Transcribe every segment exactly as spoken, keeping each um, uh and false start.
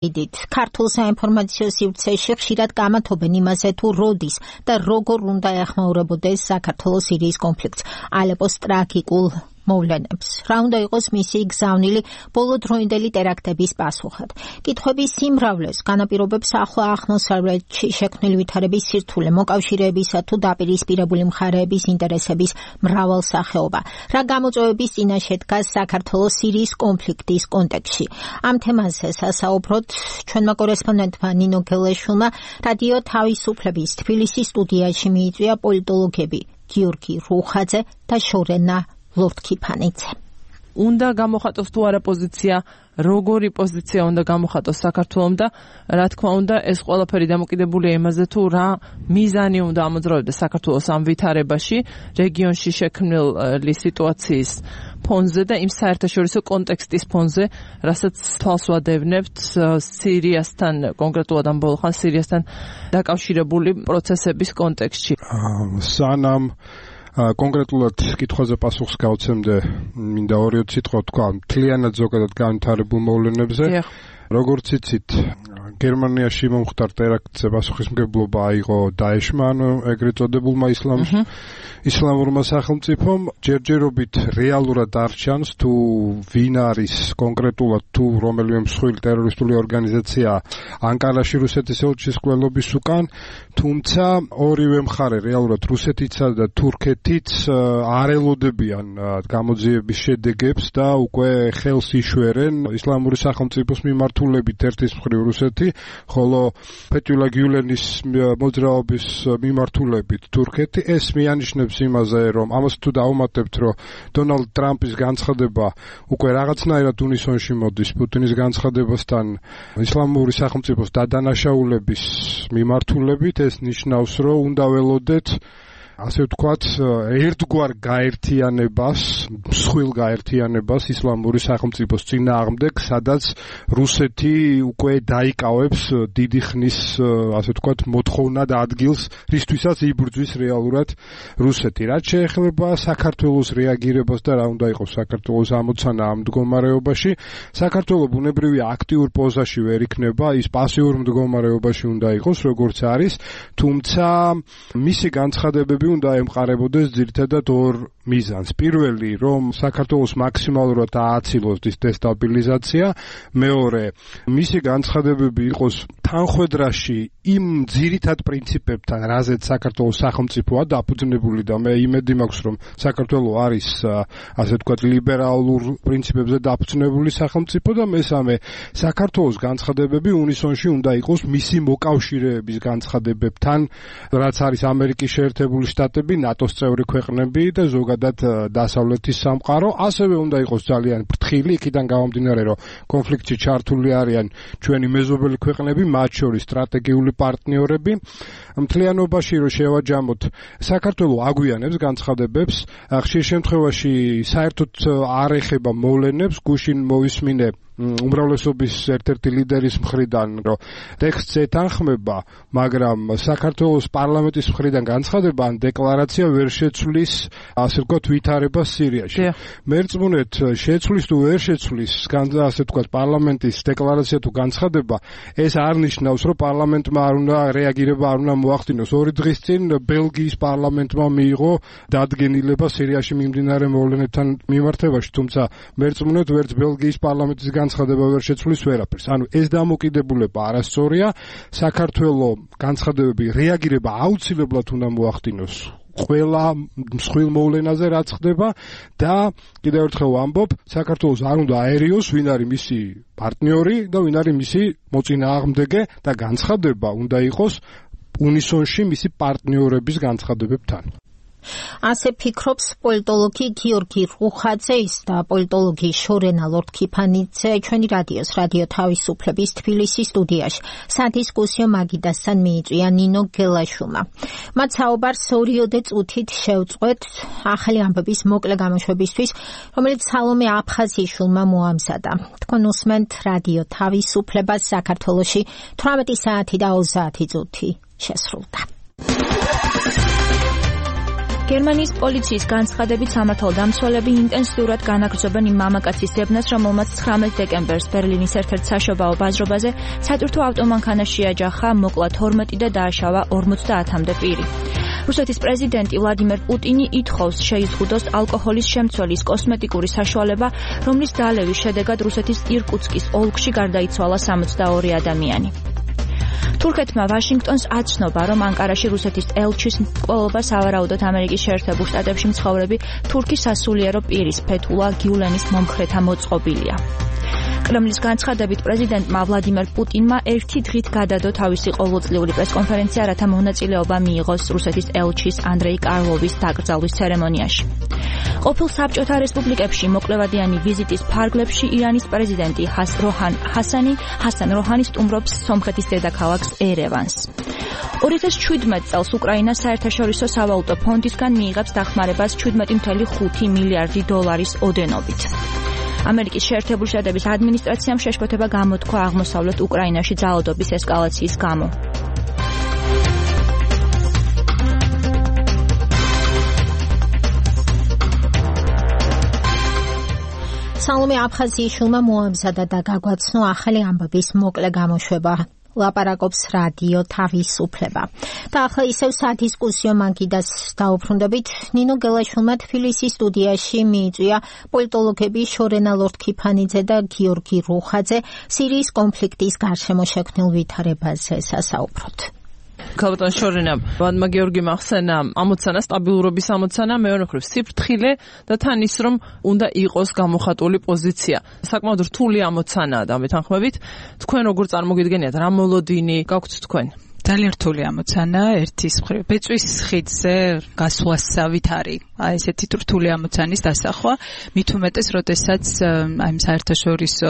იდით ქართულ საინფორმაციო სივრცეში ხშირად გამათობენ იმაზე თუ როდის და როგორ უნდა ეხმაურებოდეს საქართველოს სირიის კონფლიქტს ალეპოს ტრაგიკულ მოვლენებს. რა უნდა იყოს მისი გზავნილი ბოლოდროინდელი ტერაქტების პასუხად. კითხვების სიმრავლეს განაპირობებს ახლო აღმოსავლეთში შექმნილი ვითარების სირთულე, მოკავშირეებისა თუ დაპირისპირებული მხარეების ინტერესების მრავალსახეობა. რა გამოწვევების წინაშე დგას საქართველოს სირიის კონფლიქტის კონტექსტში. ამ თემაზე სასაუბროთ ჩვენმა კორესპონდენტმა ნინო გელაშვილმა რადიო თავისუფლების თბილისის სტუდიაში მიიწვია პოლიტოლოგები გიორგი რუხაძე და შორენა ლორთქიფანიძე. უნდა გამოხატოს თუ არა პოზიცია, როგორი პოზიცია უნდა გამოხატოს საქართველოს და რა თქმა უნდა ეს ყველაფერი დამოკიდებულია იმაზე თუ რა მიზანი უნდა ამოძრავებდეს საქართველოს ამ ვითარებაში, რეგიონში შექმნილი სიტუაციის ფონზე და იმ საერთაშორისო კონტექსტის ფონზე, რასაც თვალს ვადევნებთ სირიასთან, კონკრეტულად ამ ბოლო ხანს სირიასთან დაკავშირებული პროცესების კონტექსტში. სანამ კონკრეტულად კითხვაზე პასუხს გავცემდე, მინდა ორი სიტყვა თქვა მთლიანად ზოგადად განვითარებულ მოვლენებზე. როგორც იცით, გერმანიაში მომხდარ ტერაქტზე პასუხისმგებლობა აიღო დაეშმა, ანუ ეგრეთ წოდებულმა ისლამ ისლამურმა სახელმწიფომ. ჯერჯერობით რეალურად არ ჩანს თუ ვინ არის კონკრეტულად თუ რომელიმე მსხვილი ტერორისტული ორგანიზაცია ანკარაში რუსეთის ელჩის კვლელობის უკან, თუმცა ორივე მხარე რეალურად რუსეთიცა და თურქეთიც არ ელოდებიან გამოძიების შედეგებს და უკვე ხელს იშვერენ ისლამური სახელმწიფოს მიმართულებით ერთის მხრივ რუსეთი, ხოლო ფეთულა გიულენის მოძრაობის მიმართულებით თურქეთი. ეს მიანიშნებს იმაზე, რომ ამას თუ დავუმატებთ, რომ დონალდ ტრამპის განცხადება უკვე რაღაცნაირად უნისონში მოდის პუტინის განცხადებასთან ისლამური სახელმწიფოს დადანაშაულების მიმართულებით, ეს ნიშნავს, რომ უნდა ველოდეთ ასე ვთქვათ, ერთგვარ გაერთიანებას, მსხვილ გაერთიანებას ისლამური სახელმწიფოს წინააღმდეგ, სადაც რუსეთი უკვე დაიკავებს დიდი ხნის, ასე ვთქვათ, მოთხოვნად ადგილს, რისთვისაც იბრძვის რეალურად რუსეთი. რაც შეეხება საქართველოს რეაგირებას და რა უნდა იყოს საქართველოს ამოცანა ამ მდგომარეობაში, საქართველო ბუნებრივია აქტიურ პოზაში ვერ იქნება, ის პასიურ მდგომარეობაში უნდა იყოს, როგორც არის, თუმცა მისი განცხადებები უნდა ემყარებოდეს ძირითადად ორ მიზანს. პირველი, რომ საქართველოს მაქსიმალურად ააცილოს დესტაბილიზაცია, მეორე, მისი განცხადებები იყოს თანხვედრაში იმ ძირითად პრინციპებთან, რაზეც საქართველოს სახელმწიფოა დაფუძნებული და მე იმედი მაქვს, რომ საქართველო არის, ასე ვთქვათ, ლიბერალურ პრინციპებზე დაფუძნებული სახელმწიფო და მესამე, საქართველოს განცხადებები უნისონში უნდა იყოს მისი მოკავშირეების განცხადებებთან, რაც არის ამერიკის შეერთებული შტატები, ნატოს წევრი ქვეყნები და ზოგადად დასავლეთის სამყარო, ასევე უნდა იყოს ძალიან ფრთხილი, იქიდან გამომდინარე, რომ კონფლიქტში ჩართული არიან ჩვენი მეზობელი ქვეყნები, მათ შორის სტრატეგიული პარტნიორები. მთლიანობაში რომ შევაჯამოთ, საქართველო აგვიანებს განცხადებებს, ხშირ შემთხვევაში საერთოდ არ ეხება მოვლენებს, გუშინ მოვისმინე უმრავლესობის ერთ-ერთი ლიდერის მხრიდან, რომ ტექსტს ეთანხმება, მაგრამ საქართველოს პარლამენტის მხრიდან განცხადება ან დეკლარაცია ვერ შეცვლის, ასე ვთქვათ, ვითარებას სირიაში. მერწმუნეთ, შეცვლის თუ ვერ შეცვლის, ასე ვთქვათ, პარლამენტის დეკლარაცია თუ განცხადება, ეს არ ნიშნავს, რომ პარლამენტმა არ უნდა რეაგირება არ უნდა მოახდინოს. ორი დღის წინ ბელგიის პარლამენტმა მიიღო დადგენილება სირიაში მიმდინარე მოვლენებთან მიმართებაში, თუმცა მერწმუნეთ, ვერც ბელგიის პარლამენტის განცხადება ვერ შეცვლის ვერაფერს. ანუ ეს დამოკიდებულება არასწორია. საქართველოს განცხადებები რეაგირება აუცილებლად უნდა მოახდინოს ყველა მსხვილ მოვლენაზე, რაც ხდება და კიდევ ერთხელ ვამბობ, საქართველოს არ უნდა აერიოს, ვინ არის მისი პარტნიორი და ვინ არის მისი მოწინააღმდეგე და განცხადება უნდა იყოს უნისონში მისი პარტნიორების განცხადებებთან. ასე ფიქრობს პოლიტოლოგი გიორგი რუხაძეის და პოლიტოლოგი შორენა ლორთქიფანიძე ჩვენი რადიოს რადიო თავისუფლების თბილისის სტუდიაში. სადისკუსიო მაგიდასთან მიიწვია ნინო გელაშვილმა. მათ საუბარს ორიოდე წუთით შევწყვეთ ახალი ამბების მოკლე გამოშვებისთვის, რომელიც სალომე აფხაზიშვილმა მოამზადა. თქვენ უსმენთ რადიო თავისუფლებას საქართველოში თვრამეტი საათი და ოცდაათი წუთი შესრულდა. გერმანიის პოლიციის განცხადებით სამართალდამცველები ინტენსიურად განაგრძობენ იმ მამაკაცის ძებნას, რომელმაც ცხრამეტ დეკემბერს ბერლინის ერთ-ერთ საშობაო ბაზრობაზე სატვირთო ავტომანქანა შეაჯახა, მოკლა თორმეტი და დააშავა ორმოცდაათამდე პირი. რუსეთის პრეზიდენტი ვლადიმერ პუტინი ითხოვს შეიზღუდოს ალკოჰოლის შემცველის კოსმეტიკური საშუალება, რომლის დალევის შედეგად რუსეთის ირკუტსკის ოლქში გარდაიცვალა სამოცდაორი ადამიანი. თურქეთმა ვაშინგტონს აცნობა, რომ ანკარაში რუსეთის ელჩის მკვლელობას ავარაუდოთ ამერიკის შეერთებულ შტატებში მცხოვრები თურქის სასულიერო პირის ფეთულა გიულენის მომხრეთა მოწყობილია. კრემლის განცხადებით პრეზიდენტმა ვლადიმერ პუტინმა ერთი დღით გადადო თავისი ყოველწლიური პრესკონფერენცია, რათა მონაწილეობა მიიღოს რუსეთის ელჩის ანდრეი კარლოვის დაკრძალვის ცერემონიაში. ყოფილ საბჭოთა რესპუბლიკებში მოკლევადიანი ვიზიტის ფარგლებში ირანის პრეზიდენტი როჰან ჰასანი ჰასან როჰანი სტუმრობს სომხეთის დედაქალაქს ერევანს. ორი ათას შვიდმეტ წელს უკრაინა საერთაშორისო სავალუტო ფონდისგან მიიღებს დახმარებას შვიდმეტი წუთი ხუთი მილიარდი დოლარის ოდენობით. ამერიკის შეერთებული შტატების ადმინისტრაციამ შეშფოთება გამოთქვა აღმოსავლეთ უკრაინაში ძალადობის ესკალაციის გამო. სალომე აფხაზიის შულმა მოამზადა და გაგვაცნო ახალი ამბების მოკლე გამოშვება. ლაპარაკობს რადიო თავისუფლება. და ახლა ისევ სადისკუსიო მანქიდას დაუბრუნდებით. ნინო გელაშვილმა თბილისის სტუდიაში მიიწვია პოლიტოლოგები შორენა ლორთქიფანიძე და გიორგი რუხაძე სირიის კონფლიქტის გარშემო შექმნილ ვითარებაზე სასაუბროთ. ქალბატონ შორენა, ვადმა გიორგიმ ახსენა ამოცანა, სტაბილურობის ამოცანა, მეორე მხრივ სიფრთხილე და თან ის რომ უნდა იყოს გამოხატული პოზიცია. საკმაოდ რთული ამოცანაა და მეთანხმებით, თქვენ როგორ წარმოგიდგენიათ, რა მოლოდინი გაქვთ თქვენ? ძალიან რთული ამოცანა, ერთის მხრივ ბეწვის ხიდზე გასვლასავით არის აი ესეთი რთული ამოცანის დასახვა, მით უმეტეს, როდესაც აი საერთაშორისო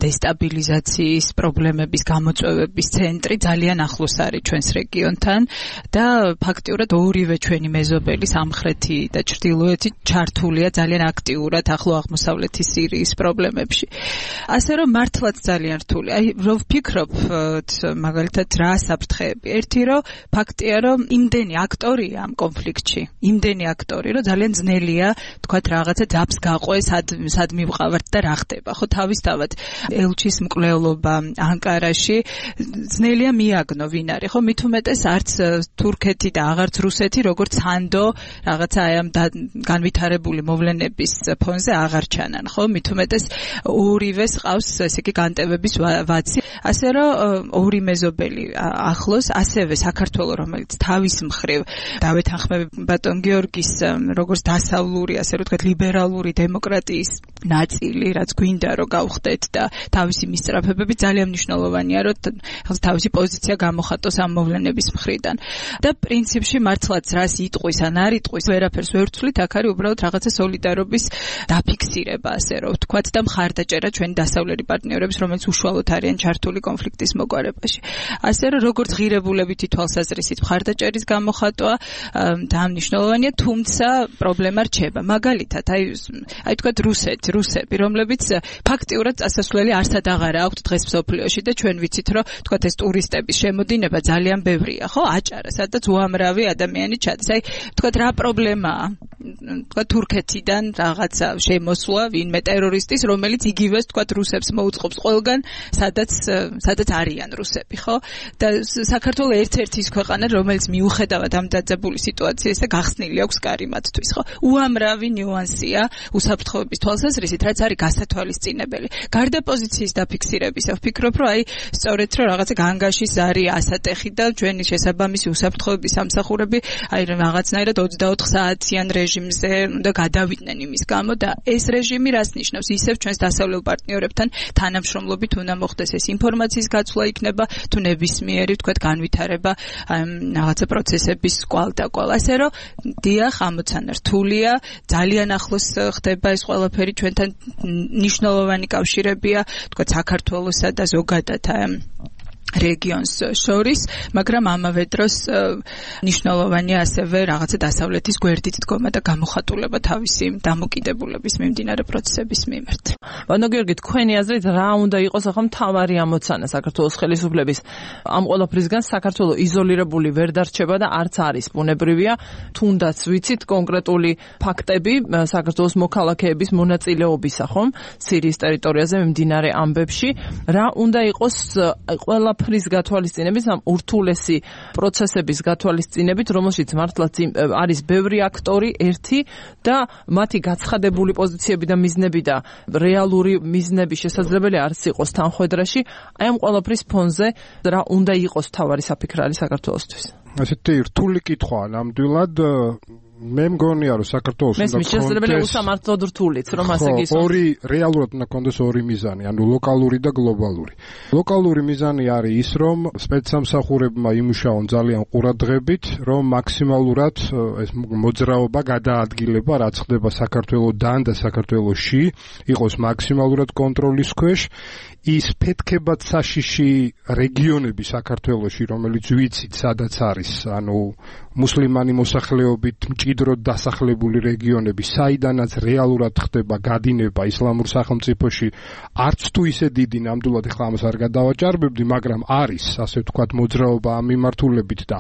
დესტაბილიზაციის პრობლემების გამოწვევების ცენტრი ძალიან ახლოს არის ჩვენს რეგიონთან და ფაქტიურად ორივე ჩვენი მეზობელი სამხრეთი და ჩრდილოეთი ჩართულია ძალიან აქტიურად ახლო აღმოსავლეთის სირიის პრობლემებში. ასე რომ მართლაც ძალიან რთული. აი რო ვფიქრობ მაგალითად რა საფრთხე ერთი რომ ფაქტია რომ იმდენი აქტორია ამ კონფლიქტში, იმდენი აქტორი რომ ძალიან ძნელია თქვათ რაღაცა ძაბს გაყვეს, სად სად მივყავართ და რა ხდება. ხო თავისთავად ელჩის მკვლელობა ანკარაში ძნელია მიაგნო ვინ არის. ხო მით უმეტეს არც თურქეთი და აღარც რუსეთი როგორც სანდო რაღაცა აი ამ განვითარებული მოვლენების ფონზე აღარ ჩანან. ხო მით უმეტეს ორივეს ყავს ესე იგი განტევების ვაცი. ასე რომ ორი მეზობელი ახლოს ასევე საქართველოს, რომელიც თავის მხრივ დავეთანხმები ბატონ გიორგის როგორც დასავლური, ასე რომ ვთქვათ, ლიბერალური დემოკრატიის ნაწილი, რაც გვინდა რომ გავხდეთ და თავისი მისწრაფებები ძალიან მნიშვნელოვანია, რომ თავისი პოზიცია გამოხატოს ამ მოვლენების მხრიდან. და პრინციპში მართლაც რას იტყვის ან არ იტყვის, ვერაფერს ვერ ვცვლით, აქ არის უბრალოდ რაღაცა სოლიდარობის დაფიქსირება, ასე რომ ვთქვათ, და მხარდაჭერა ჩვენი დასავლელი პარტნიორების, რომელიც უშუალოდ არიან ჩართული კონფლიქტის მოგვარებაში. ასე რომ როგორც ღირებულებითი თვალსაზრისით მხარდაჭერის გამოხატვა და მნიშვნელოვანია, თუმცა პრობლემა რჩება. მაგალითად, აი აი თქვათ რუსეთი, რუსები, რომლებიც ფაქტიურად წასასვლელი არსად აღარა აქვთ დღეს მსოფლიოში და ჩვენ ვიცით, რომ თქვათ ეს ტურისტების შემოდინება ძალიან ბევრია, ხო? აჭარა, სადაც უამრავი ადამიანი ჩადის. აი თქვათ რა პრობლემაა? თქვათ თურქეთიდან რაღაცა შემოსვლა ვინმე ტერორისტის, რომელიც იგივეს თქვათ რუსებს მოუწყობს ყველგან, სადაც სადაც არიან რუსები, ხო? და საქართველოს ერთ-ერთი ის ქვეყანა, რომელიც მიუხედავად ამ დაძაბული სიტუაციისა გახსნილი აქვს კარი მათთვის, ხო? უამრავი ნიუანსია უსაფრთხოების თვალსაზრისით, რაც არის გასათვალისწინებელი. გარდა პოზიციის დაფიქსირებისა, ვფიქრობ, რომ აი სწორედ რომ რაღაცა განგაში ზარი ასატეხი და ჩვენი შესაბამისი უსაფრთხოების სამსახურები აი რაღაცნაირად ოცდაოთხ საათიან რეჟიმზე უნდა გადავიდნენ იმის გამო და ეს რეჟიმი რას ნიშნავს? ისევ ჩვენს დასავლელ პარტნიორებთან თანამშრომლობით უნდა მოხდეს ეს ინფორმაციის გაცვლა იქნება თუ ნებისმიერი თქვათ განვითარება რაღაცა პროცესების კვალდაკვალ. ასე რომ დიახ, ამოცანა რთულია, ძალიან ახლოს ხდება ეს ყველაფერი ჩვენთან მნიშვნელოვანი კავშირებია, თქვათ საქართველოსა და ზოგადად რეგიონს შორის, მაგრამ ამავე დროს ნიშნულოვანია ასევე რაღაცა დასავლეთის გვერდით დგომა და გამოხატულება თავისი დამოკიდებულების მიმდინარე პროცესების მიმართ. ბანო გიორგი, თქვენი აზრით რა უნდა იყოს ახლა მთავარი ამოცანა საქართველოს ხელისუფლების ამ ყველაფრისგან? საქართველო იზოლირებული ვერ დარჩება და არც არის ბუნებრივია, თუნდაც ვიცით კონკრეტული ფაქტები საქართველოს მოქალაქეების მონაწილეობისა, ხომ? სირიის ტერიტორიაზე მიმდინარე ამბებში, რა უნდა იყოს ყველაფრის გათვალისწინებით, ამ ურთულესი პროცესების გათვალისწინებით, რომელშიც მართლაც არის ბევრი აქტორი ერთი და მათი გაცხადებული პოზიციები და მიზნები და რეალური მიზნები შესაძლებელი არც იყოს თანხვედრაში, აი ამ ყველაფრის ფონზე რა უნდა იყოს თავარი საფიქრალი საქართველოსთვის? ასეთი რთული კითხვაა ნამდვილად. მე მგონია რომ საქართველოს უნდა კონდეს შესაძლებელი უსამართლოდ რთულიც, რომ ასე გისურვებთ. ორი რეალურად უნდა კონდეს ორი მიზანი, ანუ ლოკალური და გლობალური. ლოკალური მიზანი არის ის, რომ სპეცსამსახურებმა იმუშაონ ძალიან ყურადღებით, რომ მაქსიმალურად ეს მოძრაობა გადაადგილება, რაც ხდება საქართველოსთან და საქართველოში, იყოს მაქსიმალურად კონტროლის ქვეშ. ის ფეთქებად საშიში რეგიონები საქართველოში, რომელიც ვიცით, სადაც არის, ანუ მუსლიმანი მოსახლეობით მჭიდროდ დასახლებული რეგიონები, საიდანაც რეალურად ხდება გადინება ისლამურ სახელმწიფოში, არც თუ ისე დიდი, ნამდვილად ახლა ამას არ გადავაჭარბებდი, მაგრამ არის, ასე ვთქვათ, მოძრაობა ამ მიმართულებით და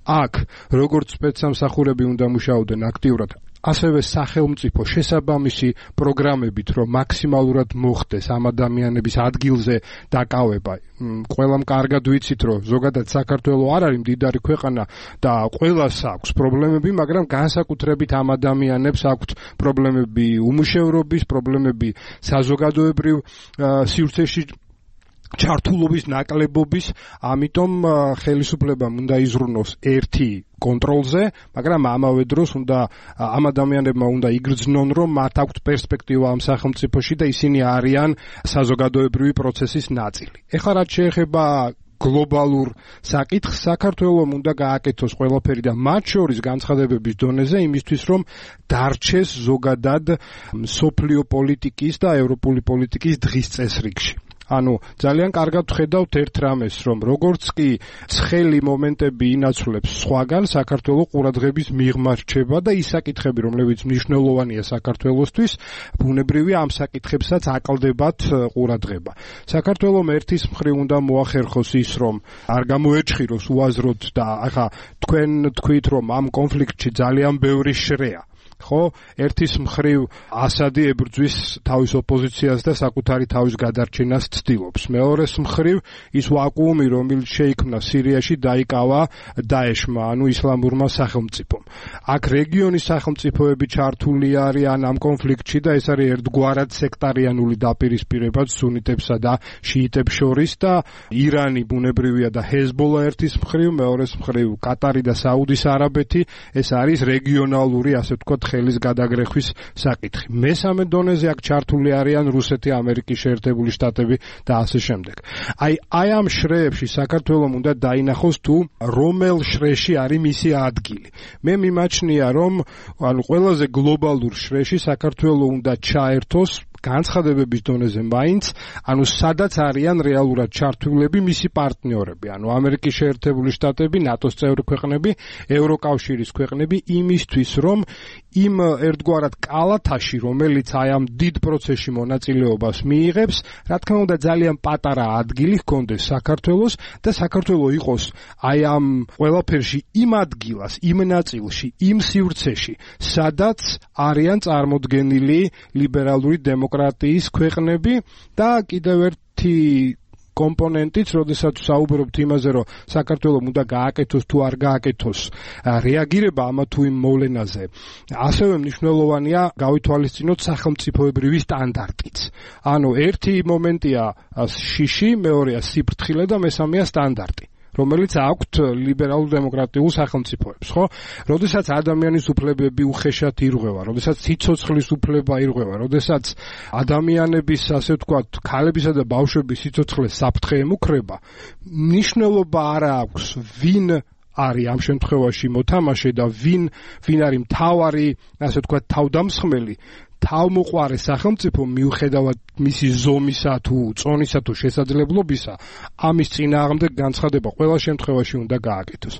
აქ როგორც სპეცსამსახურები უნდა მუშაობდნენ აქტიურად, ასევე სახელმწიფო შესაბამისი პროგრამებით, რომ მაქსიმალურად მოხდეს ამ ადამიანების ადგილზე დაკავება. ყველამ კარგად ვიცით, რომ ზოგადად საქართველო არ არის მდიდარი ქვეყანა და ყველას აქვს პრობლემები, მაგრამ განსაკუთრებით ამ ადამიანებს აქვთ პრობლემები უმუშევრობის, პრობლემები საზოგადოებრივ სივრცეში ჩართულობის ნაკლებობის, ამიტომ ხელისუფლებამ უნდა იზრუნოს ერთი კონტროლზე, მაგრამ ამავე დროს უნდა ამ ადამიანებმა უნდა იგრძნონ, რომ მათ აქვთ პერსპექტივა ამ სახელმწიფოში და ისინი არიან საზოგადოებრივი პროცესის ნაწილი. ეხლა რაც შეეხება გლობალურ საკითხს, საქართველომ უნდა გააკეთოს ყველაფერი და მათ შორის განცხადებების დონეზე იმისთვის, რომ დარჩეს ზოგადად მსოფლიო პოლიტიკის და ევროპული პოლიტიკის დღის წესრიგში. ანუ ძალიან კარგად ვხედავთ ერთ რამეს, რომ როგორც კი ცხელი მომენტები ინაცვლებს სხვაგან, საქართველოს ყურადღების მიღმა რჩება და ის საკითხები, რომლებიც მნიშვნელოვანია საქართველოსთვის, ბუნებრივია ამ საკითხებსაც აკლდებათ ყურადღება. საქართველოს ერთის მხრივ უნდა მოახერხოს ის, რომ არ გამოეჭხიროს უაზროდ და ახლა თქვენ თქვით, რომ ამ კონფლიქტში ძალიან ბევრი შრეა. ხო, ერთის მხრივ ასადი ებრძვის თავის ოპოზიციას და საკუთარი თავის გადარჩენას ცდილობს. მეორეს მხრივ ის ვაკუუმი, რომელიც შეიქმნა სირიაში, დაიკავა დაეშმა, ანუ ისლამურმა სახელმწიფომ. აქ რეგიონის სახელმწიფოები ჩართული არიან ამ კონფლიქტში და ეს არის ერთგვარად სექტარიანული დაპირისპირება სუნიტებსა და შიიტებს შორის და ირანი ბუნებრივია და ჰეზბოლა ერთის მხრივ, მეორეს მხრივ კატარი და საუდის არაბეთი, ეს არის რეგიონალური, ასე ვთქვათ, ხელის გადაგრეხვის საკითხი. მესამე დონეზე აქ ჩართული არიან რუსეთი, ამერიკის შეერთებული შტატები და ასე შემდეგ. აი, აი ამ შრეებში საქართველოს უნდა დაინახოს თუ რომელ შრეში არის მისი ადგილი. მე მიმაჩნია, რომ ანუ ყველაზე გლობალურ შრეში საქართველოს უნდა ჩაერთოს განცხადებების დონეზე მაინც, ანუ სადაც არიან რეალურად ჩართულები მისი პარტნიორები, ანუ ამერიკის შეერთებული შტატები, ნატოს წევრი ქვეყნები, ევროკავშირის ქვეყნები, იმისთვის, რომ იმ ერთგვარად კალათაში, რომელიც აი ამ დიდ პროცესში მონაწილეობას მიიღებს, რა თქმა უნდა ძალიან პატარა ადგილი ჰქონდეს საქართველოს და საქართველოს იყოს აი ამ ყველაფერში იმ ადგილას, იმ ნაწილში, იმ სივრცეში, სადაც არიან წარმოდგენილი ლიბერალური დემოკრატიის ქვეყნები და კიდევ ერთი კომპონენტიც, როდესაც საუბრობთ იმაზე, რომ საქართველოს უნდა გააკეთოს თუ არ გააკეთოს რეაგირება ამა თუ იმ მოვლენაზე, ასევე მნიშვნელოვანია გავითვალისწინოთ სახელმწიფოებრივი სტანდარტიც. ანუ ერთი მომენტია შიში, მეორეა სიფრთხილე და მესამეა სტანდარტი, რომელიც აქვთ ლიბერალურ დემოკრატიულ სახელმწიფოებს, ხო? როდესაც ადამიანის უფლებები უხეშად ირღვევა, როდესაც სიცოცხლის უფლება ირღვევა, როდესაც ადამიანების, ასე ვთქვათ, ქალებისა და ბავშვების სიცოცხლე საფრთხე ემუქრება, მნიშვნელობა არ აქვს ვინ არის ამ შემთხვევაში მოთამაშე და ვინ ვინ არის მთავარი, ასე ვთქვათ, თავდამსხმელი. თავმოყარე სახელმწიფო მიუხედავად მისი ზომისა თუ წონისა თუ შესაძლებლობისა ამის წინააღმდეგ განცხადება ყველა შემთხვევაში უნდა გააკეთოს.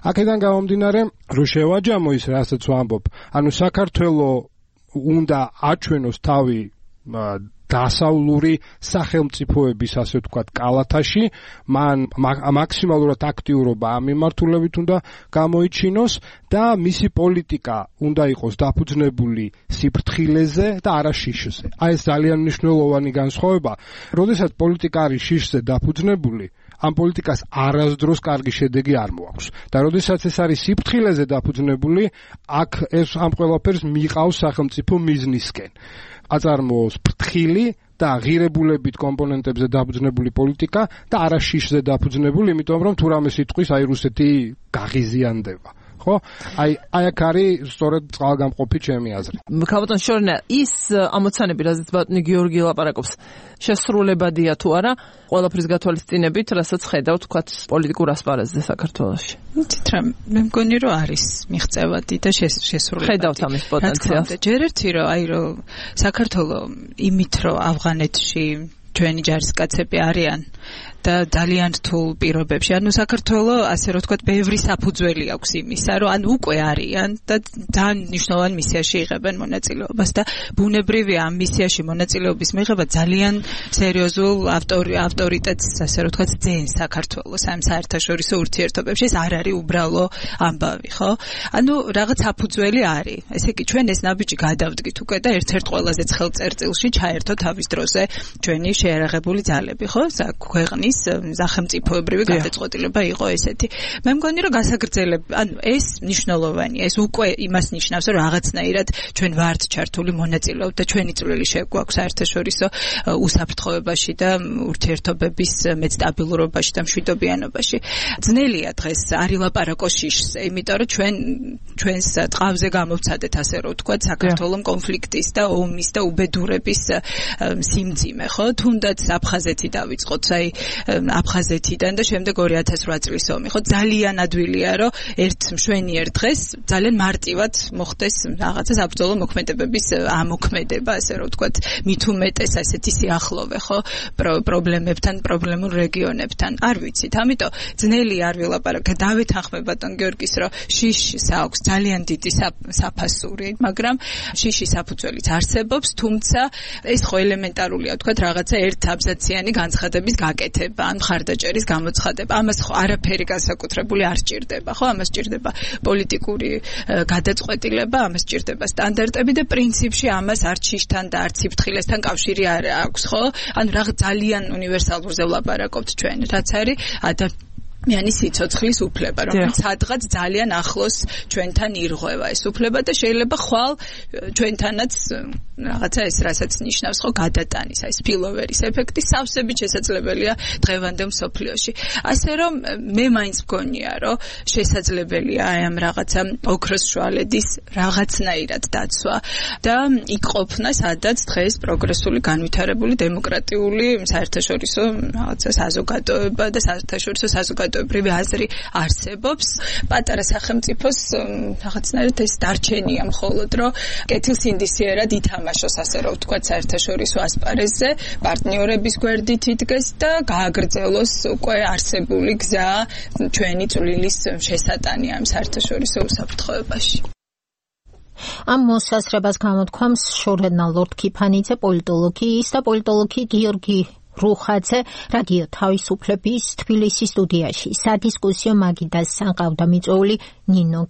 აქედან გამომდინარე, რომ შევაჯამო ის რასაც ვამბობ, ანუ საქართველოს უნდა აჩვენოს თავი დასავლური სახელმწიფოების, ასე ვთქვათ, კალათაში, მან მაქსიმალურად აქტიურობა ამ მიმართულებით უნდა გამოიჩინოს და მისი პოლიტიკა უნდა იყოს დაფუძნებული სიფრთხილეზე და არა შიშზე. აი ეს ძალიან მნიშვნელოვანი განსხვავება. როდესაც პოლიტიკა არის შიშზე დაფუძნებული, ამ პოლიტიკას არასდროს კარგი შედეგი არ მოაქვს. და როდესაც ეს არის სიფრთხილეზე დაფუძნებული, აქ ეს ამ ყველაფერს მიყავს სახელმწიფო მიზნისკენ. აწარმოოს ფრთხილი და ღირებულებით კომპონენტებზე დაფუძნებული პოლიტიკა და არა შიშზე დაფუძნებული, იმიტომ რომ თუ რამე სიტყვის აი რუსეთი გაღიზიანდება. ხო? აი აი აქ არის სწორედ წყალგამყოფი ჩემი აზრი. ქალბატონ შორნა, ის ამოცანები, რაზეც ბატონი გიორგი ლაპარაკობს, შესრულებადია თუ არა, ყველაფრის გათვალისწინებით, რასაც ხედავთ, თქვათ, პოლიტიკურ ასპარეზზე საქართველოში. იცით რა, მე მგონი რომ არის მიღწევადი და შესრულებადი. ხედავთ ამის პოტენციალს. ჯერ ერთი რომ აი რომ საქართველოს იმით რომ ავღანეთში ჩვენი ჯარისკაცები არიან და ძალიან რთულ პირობებში. ანუ საქართველოს ასე რომ ვთქვათ, ბევრი საფუძველი აქვს იმისა, რომ ან უკვე არიან და ძალიან მნიშვნელოვან მისიაში იღებენ მონაწილეობას და ბუნებრივია ამ მისიაში მონაწილეობის მიღება ძალიან სერიოზულ ავტორიტეტს, ასე რომ ვთქვათ, ძენს საქართველოს ამ საერთაშორისო ურთიერთობებში. ეს არ არის უბრალო ამბავი, ხო? ანუ რაღაც საფუძველი არის. ესე იგი, ჩვენ ეს ნაბიჯი გადავდგით უკვე და ერთ-ერთ ყველაზე ცხელ წერტილში ჩაერთო თავის დროზე ჩვენი შეიარაღებული ძალები, ხო? ქვეყნის სახელმწიფოებრივი გადაწყვეტილება იყო ესეთი. მე მგონი რომ გასაგრძელებ, ანუ ეს მნიშვნელოვანია. ეს უკვე იმას ნიშნავს, რომ რაღაცნაირად ჩვენ ვართ ჩართული მონაწილეობ და ჩვენი წვლილი შეგვაქვს საერთაშორისო უსაფრთხოებაში და ურთიერთობების მეტსტაბილურობაში და მშვიდობიანობაში. ძნელია დღეს არ ილაპარაკო შიშზე, იმიტომ რომ ჩვენ ჩვენს ტყავზე გამოვცადეთ, ასე რომ ვთქვათ, საქართველოს კონფლიქტის და ომის და უბედურების სიმძიმე, ხო? თუნდაც აფხაზეთი დავიწყოთ, აი აფხაზეთიდან და შემდეგ ორი ათას ორი წლის ომი, ხო? ძალიან ადვილია, რომ ერთ მშვენიერ დღეს ძალიან მარტივად მოხდეს რაღაცა საბრძოლო მოქმედებების ამოქმედება, ასე რომ ვთქვათ, მით უმეტეს ასეთი სიახლოვე, ხო? პრობლემებთან, პრობლემურ რეგიონებთან. არ ვიცით, ამიტომ ძნელი არ ვილაპარაკე. დავეთანხმებ ბატონ გიორგის, რომ შიშს აქვს ძალიან დიდი საფასური, მაგრამ შიშის საფუძველიც არსებობს, თუმცა ეს ხო ელემენტარულია, ვთქვათ, რაღაცა ერთ აბზაციანი განცხადების გაკეთება, ან მხარდაჭერის გამოცხადება. ამას ხო არაფერი განსაკუთრებული არ სჭირდება, ხო? ამას სჭირდება პოლიტიკური გადაწყვეტილება, ამას სჭირდება სტანდარტები და პრინციპში ამას არც შიშთან და არც სიფრთხილესთან კავშირი არ აქვს, ხო? ანუ რაღაც ძალიან უნივერსალურზე ვლაპარაკობთ ჩვენ, რაც არის ადამიანის სიცოცხლის უფლება, რომელიც სადღაც ძალიან ახლოს ჩვენთან ირღვევა ეს უფლება და შეიძლება ხვალ ჩვენთანაც რაღაცა ეს რასაც ნიშნავს ხო გადატანის, აი სპილოვერის ეფექტი სავსებით შესაძლებელია დღევანდელ მსოფლიოში. ასე რომ მე მაინც მგონია, რომ შესაძლებელია აი ამ რაღაცა ოქროს შუალედის რაღაცნაირად დაცვა და იქ ყოფნა, სადაც დღეს პროგრესული, განვითარებული, დემოკრატიული საერთაშორისო რაღაცა საზოგადოება და საერთაშორისო საზოგადოებრივი აზრი არსებობს. პატარა სახელმწიფოს რაღაცნაირად ეს დარჩენია მხოლოდ, რომ კეთილსინდისიერად ითამაშოს, ასე რომ ვთქვათ, საერთაშორისო ასპარეზზე, პარტნიორების გვერდით იდგეს და გააგრძელოს უკვე არსებული გზა ჩვენი წვლილის შესატანი ამ საერთაშორისო უსაფრთხოებაში. ამ მოსაზრებას გამოთქვამს შორენა ლორდ-ქიფანიძე, პოლიტოლოგის და პოლიტოლოგი გიორგი რუხაძე რადიო თავისუფლების თბილისის სტუდიაში. სადისკუსიო მაგიდას სანყავდა მიწვეული ნინო